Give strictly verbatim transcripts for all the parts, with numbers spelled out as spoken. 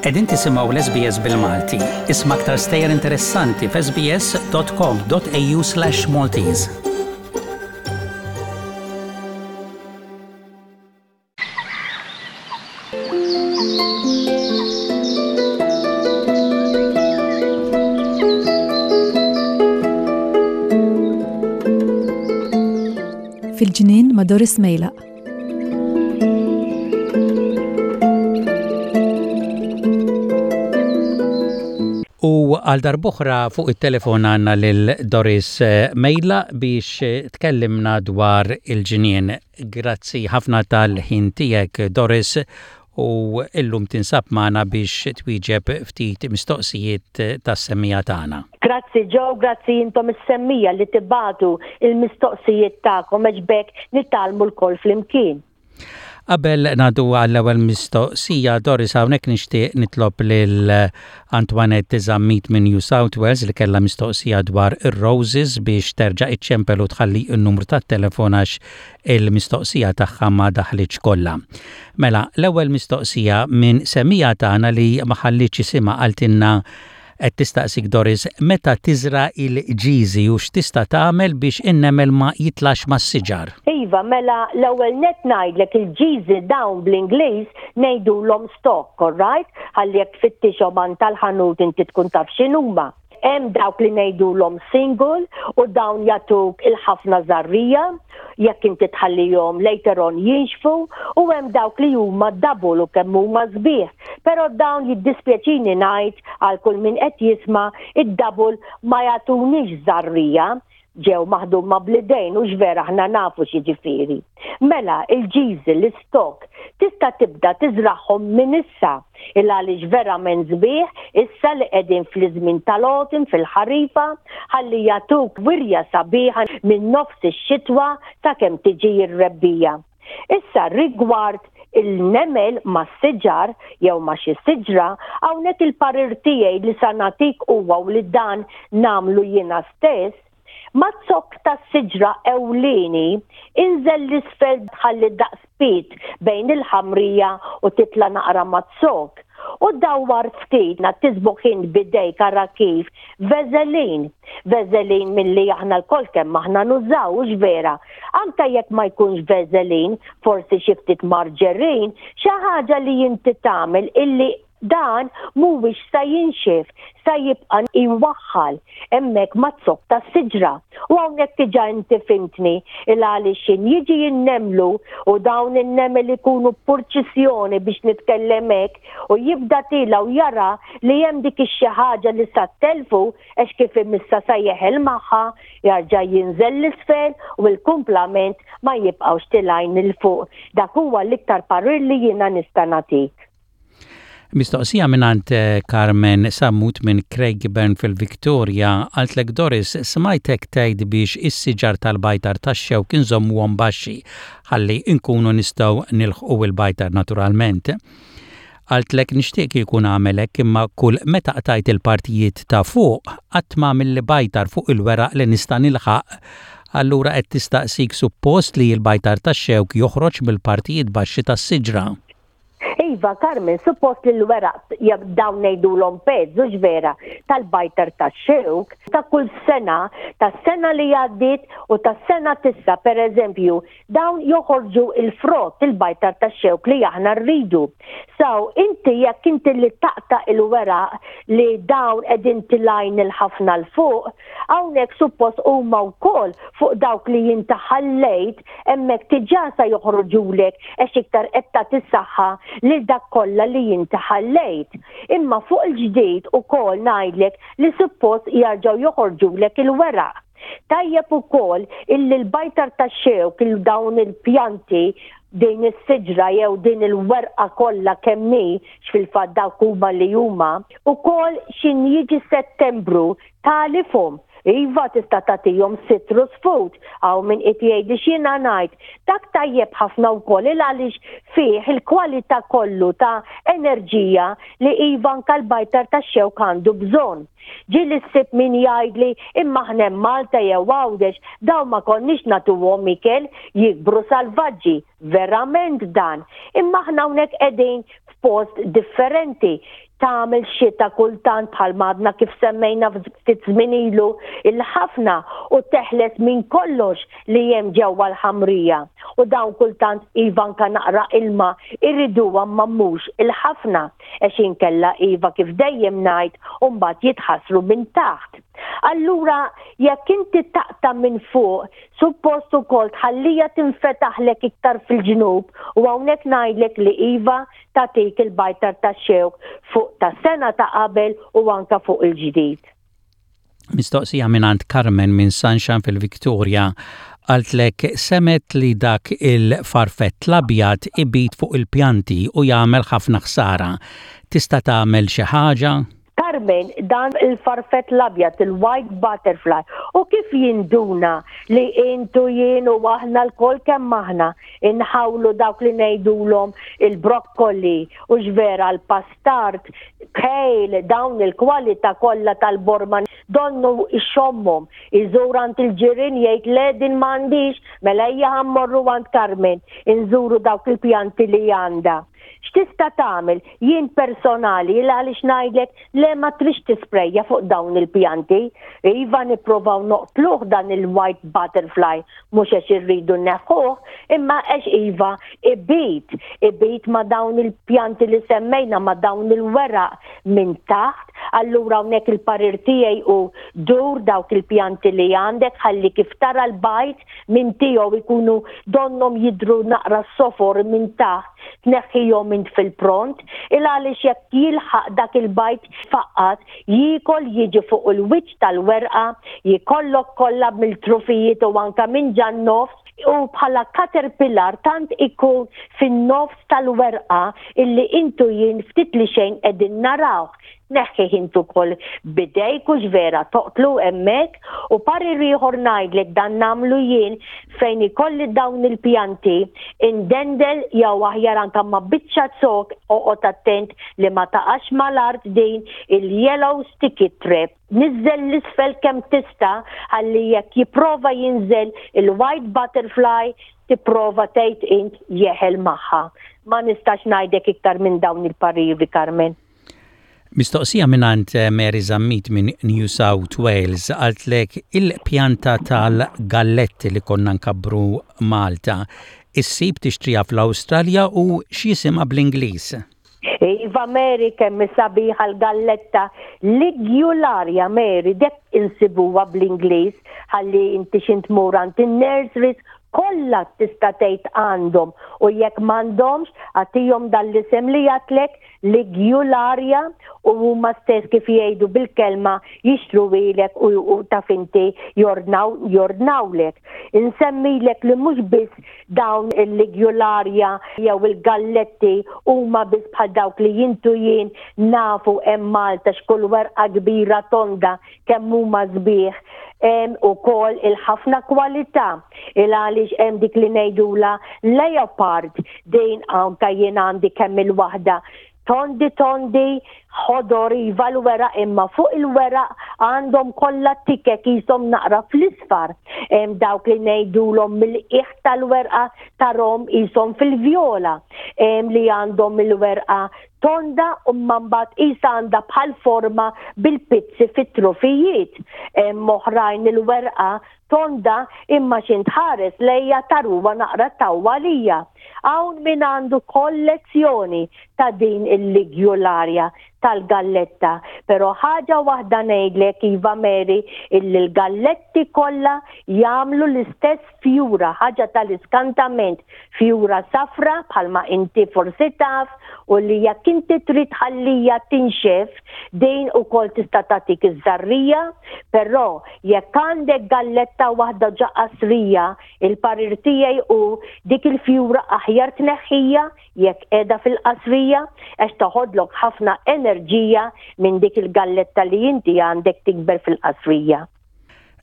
Qegħdin tisimgħu l-S B S bil-Malti. Isma' aktar stejjer interessanti f'S B S dot com dot A U slash Maltese. Fil-ġnien ma' Doris Mejlaq. U għal darb'oħra fuq it-telefon għandna lil Doris Mejlaq biex tkellimna dwar il-ġnien. Grazzi ħafna tal-ħin tiegħek, Doris, u illum tinsab magħna biex twieġeb ftit mistoqsijiet tas-semmiegħa tagħna. Grazzi Joe, grazzi intom is-semmiegħa li tibagħtu il-mistoqsijiet tagħkom għax b'hekk nitgħallmu lkoll flimkien. Qabel ngħaddu għall-ewwel mistoqsija, Doris, hawnhekk nixtieq nitlob lil Antoinette Zammit minn New South Wales li kellha mistoqsija dwar ir-roses biex terġa' iċċempel u tħalli n-numru tat-telefon għax il-mistoqsija tagħha ma daħlitx kollha. Mela, l-ewwel mistoqsija minn semmiegħa tagħna li ma ħallitx isimha qaltilna qed tistaqsik, Doris, meta tiżra il-ġiżi u x'tista' tagħmel biex in-nemel ma jitlax mas-siġar. Iva, mela l-ewwel net ngħidlek il-ġiżi dawn bl-Ingliż ngħidulhom stock, all right? Ħalli jekk tfittixhom għand tal-ħanut inti tkun taf x'inhuma. Hemm dawk li ngħidulhom single u dawn jagħtuk il-ħafna żarrija jekk inti tħallihom later on jinxfu u hemm dawk li huma double u kemm huma sbieħ. Però dawn, jiddispjaċini ngħid għal kull min qed jisma', id-double ma jagħtunix żarrija, ġew maħduma bl-idejn u x'vera aħna nafu x'jiġifieri. Mela, il-ġiżi, l-stock, tista' tibda tiżraħħom minn issa il għaliex verament sbieħ issa li qegħdin fl-iżmin tal-autumn, fil-ħarifa, ħalli jagħtuk wirja sabiħa minn nofs ix-xitwa ta' kemm tiġi r-rebbija. Issa rigward il-nemel ma' siġar jew ma' xi siġra, hawnhekk il-parir tiegħi li sa nagħtik huwa u li dan nagħmlu jiena stess: maz-zokk ta' siġra ewlieni inżel 'l isfel, ħalli daqs pied bejn il-ħamrija u titla naqra maz-zokk. U dawwar ftit na tiżbuħin bidejk, ara kif, Vaseline. Vaseline milli aħna lkoll kemm aħna nużaw, vera. Anka jekk ma jkunx Vaseline, forsi xi ftit marġerin, xi ħaġa li inti tagħmel illi dan mhuwiex sa jinxef, sa jibqa' iwaħħal hemmhekk maz-zokk tas-siġra. U hawnhekk diġà inti fhimtni il għaliex jiġi jinnemlu u dawn in-nemel ikunu purċissjoni, biex nitkellem hekk, u jibda tiela' u jara li hemm dik ix-xi ħaġa li sa telfu għax kif imissa sa jeħel magħha, jarġa' jinżel 'l isfel u l-kumplament ma jibqgħux tilgħin 'il fuq. Dak huwa l-iktar parir li jiena nista' nagħtik. Mistoqsija mingħand eh, Carmen Sammut minn Craigburn fil-Victoria. Qaltlek, "Doris, smajtek tgħid biex is-siġar tal-bajtar tax-xewk inżommuhom baxxi ħalli nkunu nistgħu nilħqu il-bajtar naturalment." Qaltlek, "Nixtieq jkun għamelek, imma kull meta qtajt il-partijiet ta' fuq qatt ma mill bajtar fuq il-weraq li nista' nilħaq." Allura qed tistaqsik, suppost li l-bajtar tax-xewk joħroġ mill-partijiet baxxi tas-siġra? Iva, Carmen, suppost li l-weraq dawn ngħidulhom pezz, vera, tal-bajtar tax-xewk, ta' kull sena, ta' sena li għaddit u ta' sena t'issa, per eżempju, dawn joħorġu il-frott, il-bajtar tax-xewk li aħna rridu. So, inti jekk inti li taqta' il-weraq li dawn qegħdin tilgħin il-ħafna 'l fuq, hawnhekk suppost huma wkoll fuq dawk li jinti ħallejt hemmhekk diġà sa joħorġulek għax iktar qed tagħti saħħa lil dak kollha li jinti ħallejt. Imma fuq il-ġdid ukoll ngħidlek li suppost jarġgħu joħorġulek il-weraq. Tajjeb ukoll illi l-bajtar tax-xewk, il dawn il-pjanti, din is-siġra jew din il-werqa kollha kemm hi, x'fil-fatt dawk huma li huma, ukoll xin jiġi Settembru tagħlifhom. Iva, tista' tagħtihom citrus food, hawn min qed jgħidli x'jiena ngħid. Dak tajjeb ħafna wkoll il għaliex fih il-kwalità kollu ta' enerġija li iva anka l-bajtar tax-xewk għandu bżonn. Ġieli ssib min jgħidli, "Imma aħna Malta jew Għawdex dawn ma konniex nagħtuhom ikel, jikbru salvaġġi." Verament dan. Imma aħna hawnhekk qegħdin f'post differenti. Tagħmel xita kultant, bħal madna kif semmejna ftit żmien ilu, il-ħafna u teħles minn kollox li hemm ġewwa l-ħamrija. U dawn kultant iva anka naqra ilma irriduha, ma mhux il-ħafna, għax inkella iva, kif dejjem ngħid, u mbagħad jitħassru minn taħt. Allura jekk inti taqta' minn fuq, suppost ukoll tħallija tinfetaħlek iktar fil-ġnub, u hawnhekk ngħidlek li iva, tagħtik il-bajtar ta' xewk fuq ta' sena ta' qabel u anka fuq il-ġdid. Mistoqsija minn Carmen minn Sunshine fil-Victoria, qaltlek semgħet li dak il-farfett l-abjad ibit fuq il-pjanti u jagħmel ħafna ħsara. Tista' tagħmel xi ħaġa? Carmen, dan il-farfett l-abjad, il-white butterfly, u kif jinduna li intu jien u aħna lkoll kemm aħna inħawlu dawk li ngħidulhom il-brokkoli u ġvera l-pastard, kale, dawn il-kwalità kollha tal-borma, donnu ixommhom, iżur għand il-ġirien, jgħid: "Le, din m'għandix, mela ejja ħa mmorru għand Carmen, inżuru dawk il-pjanti li għandha." X'tista' tagħmel? Jien personali, il għaliex ngħidlek le, ma trix tisprejja fuq dawn il-pjanti. Iva, nipprovaw noqtluh dan il-white butterfly, mhux għax irridu neħħuh, imma għax iva ibit, ibit ma' dawn il-pjanti li semmejna, ma' dawn il-weraq minn taħt. Allura hawnhekk il-parir tiegħi u dur dawk il-pjanti li għandek, ħalli kif tara l-bajd minn tiegħu ikunu donnom jidru naqra sofor minn taħt, tneħħihom int fil-pront, il għaliex jekk jilħaq dak il-bajd faqqat, jikol, jiġi fuq il-wiċċ tal-werqa, jikollok kollha mill-trufijiet u anka minn ġan-nofs, u bħala caterpillar tant ikun fin-nofs tal-werqa illi intu jien ftit li xejn qegħdin narawh. Neħħi intu kol bidejk u vera toqtlu hemmhekk. U parir ieħor ngħidlek, dan nagħmlu jien fejn ikolli dawn il-pjanti, indendel jew aħjar anka ma' biċċa zokk, oqgħod attent li ma taqax mal-art, din il-yellow sticky trap. Niżżel l-isfel kemm tista', ħalli jekk jipprova jinżel il-white butterfly, tipprova tgħid int jeħel magħha. Ma nistax ngħidlek iktar minn dawn il-pariri, Carmen. Mistoqsija mingħand eh, Mary Zammit minn New South Wales, qaltlek il-pjanta tal-galletti li konna nkabbru Malta, issib tixtrija fl-Awstralja u x'jisimha bl-Ingliż? Iva Mary, kemm sabiħa l-galletta Ligularia, Mary, dek insibuha bl-Ingliż, ħalli inti x'int tmur għand in-nurseries kollha tista' tgħid għandhom, u jekk m'għandhomx, agħtihom dal-isem li għedtlek, Ligularia, u huma stess, kif jgħidu bil-kelma, jixtruhielek u, u taf inti jordnaw jordnawlek. Insemmilek li mhux biss dawn il-Ligularia jew il-galletti huma biss bħal dawk li jintu jien nafu hemm Malta, x'kull werqa kbira tonda kemm huma sbieħ, hemm ukoll il-ħafna kwalità, il għaliex hemm dik li ngħidula leopard. Din anka jien għandi kemm il-waħda, tondi tondi, ħodor iva l-weraq, imma fuq il-weraq għandhom kollha tikek jisom naqra fl-isfar. Hemm dawk li ngħidulhom mill-qiegħ tal-werqa tarahom jisom fil-vjola. Hemm li għandhom il-werqa tonda u mbagħad isa għandha bħal forma bil-pizzi fit-trufijiet. Hemm oħrajn il-werqa tonda, imma x'int tħares lejha taraha naqra tawwalija. Hawn min għandu kollezzjoni ta' din il-Ligularia tal-galletta. Pero ħaġa waħda ngħidlek iva Mary, illi l-galletti kollha jagħmlu l-istess fjura, ħaġa tal-iskantament, fjura safra bħalma inti forsi taf, u li jekk inti trid ħallija tinxef, din ukoll tista' tagħtik iż-żarrija, però jekk għandek galletta waħda ġa qasrija, il-parir tiegħi u dik il-fjura aħjar tneħħija jekk qiegħda fil-qasrija, għax toħodlok ħafna enerġija minn dik il-galletta li inti għandek tikber fil-qasrija.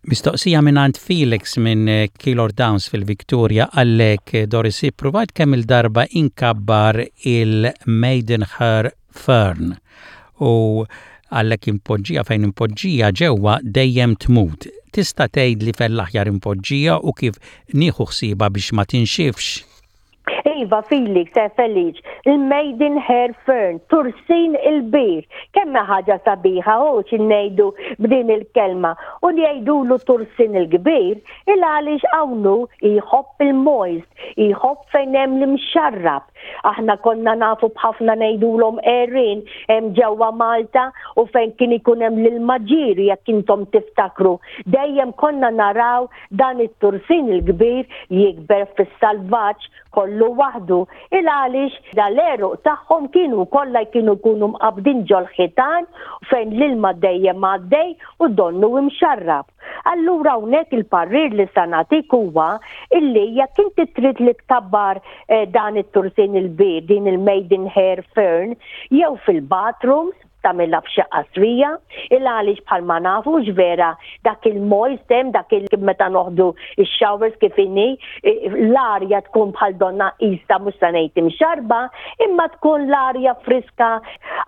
Mistoqsija minn Felix minn Keilor Downs fil-Victoria, qallek: "Doris, provajt kemm il-darba inkabbar il-Maidenhair Fern u qallek impoġġija fejn impoġġija ġewwa dejjem tmut. Tista' tgħid li fejn l-aħjar impoġġija u kif nieħu ħsiebha biex ma tinxifx?" Iva, Iva Felix, eh, Feliċ, il-Maiden Hair Fern, tursin il-bir. Kemm ħaġa sabiħa u ngħidu b'din il-kelma. U li jgħidulu tursin il-kbir, il għaliex hawnhu jħobb il-moist, jħobb fejn hemm l-imxarrab. Aħna konna nafu b'ħafna ngħidulhom għerien hemm ġewwa Malta u fejn kien ikun hemm l-ilma ġieri jekk intom tiftakru. Dejjem konna naraw dan it-tursin il-kbir jikber fis-salvaġġ kollu waħdu. Il għaliex dal-għeruq tagħhom kienu kollha kienu jkunu mqabdin ġol-ħitan fejn l-ilma dejjem għaddej u donnu imxarrab. Allura hawnhekk il-parir li sa nagħtik huwa illi jekk inti trid li tkabbar eh, dan it-tursin il-bir, din il-Maiden Hair Fern, jew fil-bathrooms, tagħmilha f'xi qasrija, il għaliex bħalma nafu vera dak il-moist hemm dak il meta noħdu ix-showers kif inhi, l-arja tkun bħal donna issa mhux se ngħid imxarba, imma tkun l-arja friska.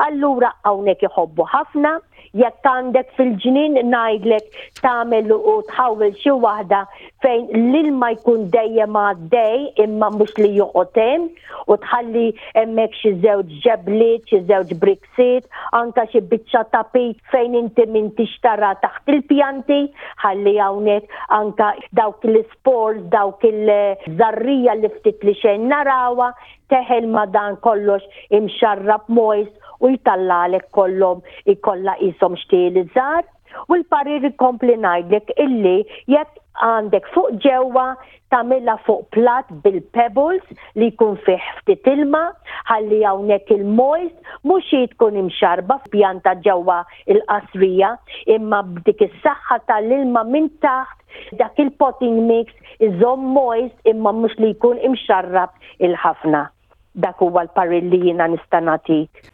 Allura hawnhekk iħobbu ħafna, jekk għandek fil-ġnien ngħidlek tagħmel u tħawel xi waħda fejn l-ilma jkun dejjem għaddej imma mhux li joqgħod hemm u tħalli hemmhekk xi żewġ ġebliet, xi żewġ briksiet, anka xi biċċa tapit fejn inti m'intix tara taħt il-pjanti, ħalli hawnhekk anka dawk l-spores, dawk il-żarrija li ftit li xejn narawha, teħel ma dan kollox imxarrab moist u jtallalek kollhom ikolla qishom xtieli żgħar. U l-parir ikompli ngħidlek illi jekk għandek fuq ġewwa tagħmilha fuq plat bil-pebbles li jkun fih ftit ilma, ħalli hawnhekk il-moist mhux hi tkun imxarba f'pjanta ġewwa il-qasrija, imma b'dik is-saħħa tal-ilma minn taħt dak il-potting mix iżomm moist imma mhux li jkun imxarrab il-ħafna. Dak huwa l-parir li jiena nista' nagħtik.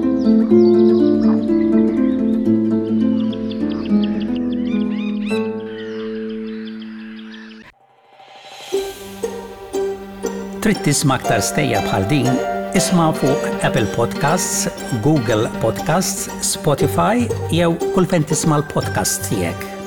Trid tisma' aktar stejjer bħal din? Isma' fuq Apple Podcasts, Google Podcasts, Spotify jew kull fejn tisma' l-podcast tiegħek.